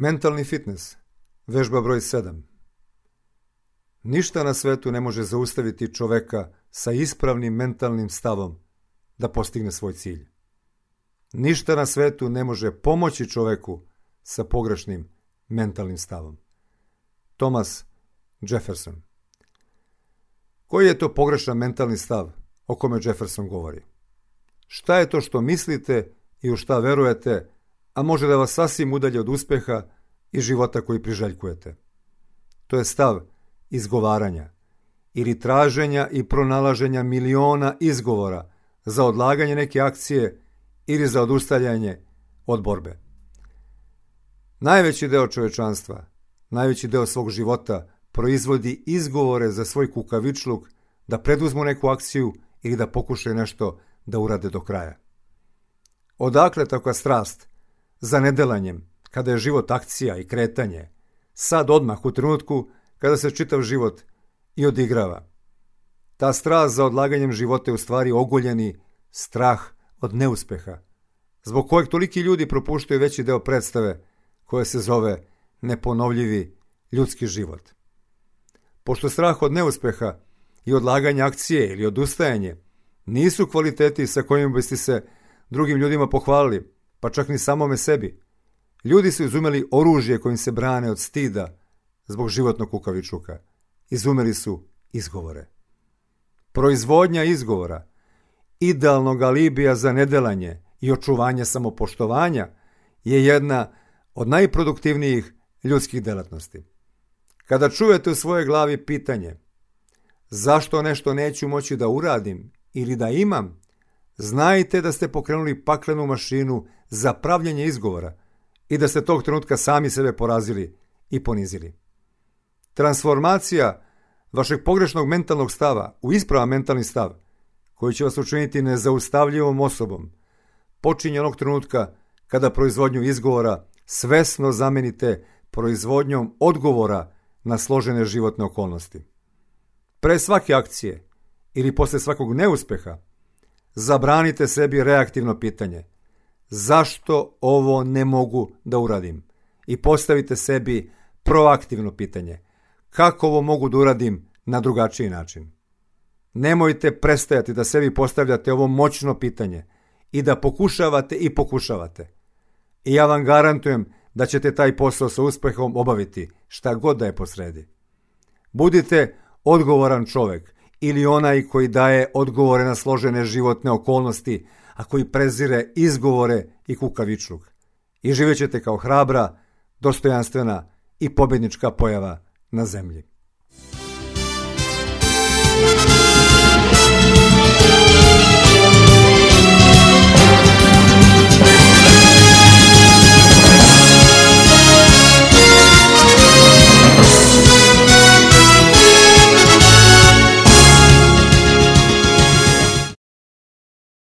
Mentalni fitness, vežba broj 7. Ništa na svetu ne može zaustaviti čoveka sa ispravnim mentalnim stavom da postigne svoj cilj. Ništa na svetu ne može pomoći čoveku sa pogrešnim mentalnim stavom. Thomas Jefferson. Koji je to pogrešan mentalni stav o kome Jefferson govori? Šta je to što mislite i u šta verujete, a može da vas sasvim udalji od uspeha i života koji priželjkujete? To je stav izgovaranja ili traženja i pronalaženja miliona izgovora za odlaganje neke akcije ili za odustajanje od borbe. Najveći deo čovečanstva, najveći deo svog života proizvodi izgovore za svoj kukavičluk da preduzmu neku akciju ili da pokušaju nešto da urade do kraja. Odakle takva strast za nedelanjem kada je život akcija i kretanje, sad odmah u trenutku kada se čitav život i odigrava? Ta strast za odlaganjem života je u stvari ogoljeni strah od neuspeha, zbog kojeg toliki ljudi propuštaju veći deo predstave koja se zove neponovljivi ljudski život. Pošto strah od neuspeha i odlaganje akcije ili odustajanje nisu kvaliteti sa kojima biste se drugim ljudima pohvalili, pa čak ni samome sebi, ljudi su izumeli oružje kojim se brane od stida zbog životnog kukavičluka. Izumeli su izgovore. Proizvodnja izgovora, idealnog alibija za nedelanje i očuvanje samopoštovanja je jedna od najproduktivnijih ljudskih delatnosti. Kada čujete u svojoj glavi pitanje zašto nešto neću moći da uradim ili da imam, znajte da ste pokrenuli paklenu mašinu za pravljenje izgovora i da ste tog trenutka sami sebe porazili i ponizili. Transformacija vašeg pogrešnog mentalnog stava u ispravan mentalni stav, koji će vas učiniti nezaustavljivom osobom, počinje onog trenutka kada proizvodnju izgovora svesno zamenite proizvodnjom odgovora na složene životne okolnosti. Pre svake akcije ili posle svakog neuspeha zabranite sebi reaktivno pitanje zašto ovo ne mogu da uradim i postavite sebi proaktivno pitanje kako ovo mogu da uradim na drugačiji način. Nemojte prestajati da sebi postavljate ovo moćno pitanje i da pokušavate i pokušavate. I ja vam garantujem da ćete taj posao sa uspehom obaviti šta god da je posredi. Budite odgovoran čovek ili onaj koji daje odgovore na složene životne okolnosti, a koji prezire izgovore i kukavičluk. I živjet ćete kao hrabra, dostojanstvena i pobednička pojava na zemlji.